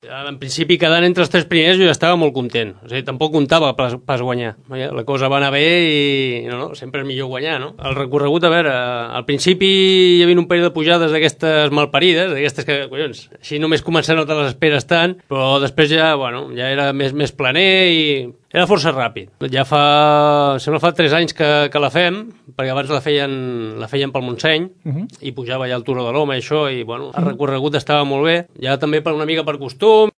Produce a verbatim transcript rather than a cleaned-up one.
En principi, quedant entre els tres primers jo ja estava molt content. O sigui, tampoc comptava pas, pas guanyar. La cosa va anar bé i no, no, sempre és millor guanyar, no? El recorregut, a veure, al principi hi havia un període de pujades d'aquestes malparides, d'aquestes que, collons, així només començant no te les esperes tant, però després ja, bueno, ja era més, més planer i era força ràpid. Ja fa, sembla fa tres anys que, que la fem, perquè abans la feien, la feien pel Montseny, uh-huh. i pujava ja al Turó de l'Home i això, i bueno, el recorregut estava molt bé. Ja també per una mica per costum,